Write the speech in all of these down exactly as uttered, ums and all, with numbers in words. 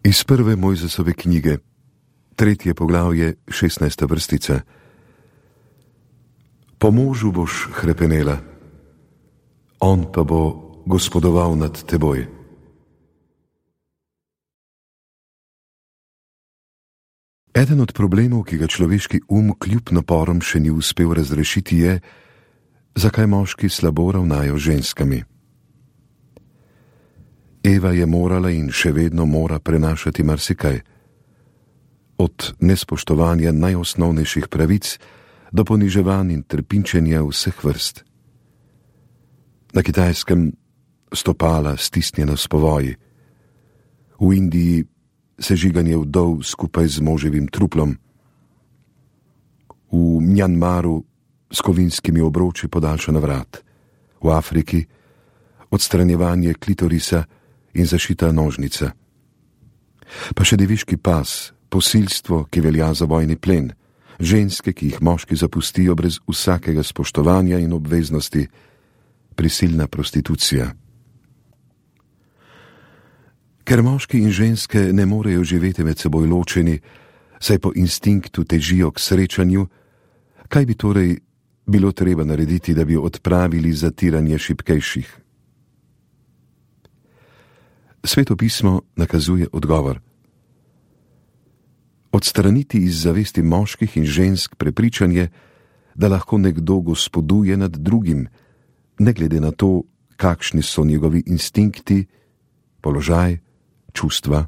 Iz prve Mojzesove knjige, tretje poglavje, šestnajsta vrstica. Po možu boš hrepenela, on pa bo gospodoval nad teboj. Eden od problemov, ki ga človeški um kljub naporom še ni uspel razrešiti, je, zakaj moški slabo ravnajo z ženskami. Eva je morala in še vedno mora prenašati marsikaj. Od nespoštovanja najosnovnejših pravic do poniževanj in trpinčenja vseh vrst. Na Kitajskem stopala stisnjena s povoji. V Indiji sežiganje vdov skupaj z moževim truplom. V Mjanmaru s kovinskimi obroči podaljšana vrat. V Afriki odstranjevanje klitorisa in zašita nožnica. Pa še deviški pas, posilstvo, ki velja za vojni plen, ženske, ki jih moški zapustijo brez vsakega spoštovanja in obveznosti, prisilna prostitucija. Ker moški in ženske ne morejo živeti med seboj ločeni, saj po instinktu težijo k srečanju, kaj bi torej bilo treba narediti, da bi odpravili zatiranje šibkejših? Sveto pismo nakazuje odgovor. Odstraniti iz zavesti moških in žensk prepričanje, da lahko nekdo gospoduje nad drugim, ne glede na to, kakšni so njegovi instinkti, položaj, čustva,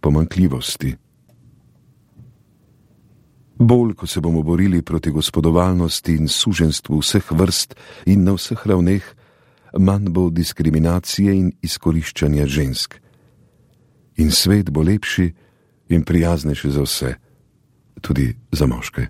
pomanjkljivosti. Bolj, ko se bomo borili proti gospodovalnosti in suženstvu vseh vrst in na vseh ravneh, manj bo diskriminacije in izkoriščanja žensk. In svet bo lepši in prijaznejši za vse, tudi za moške.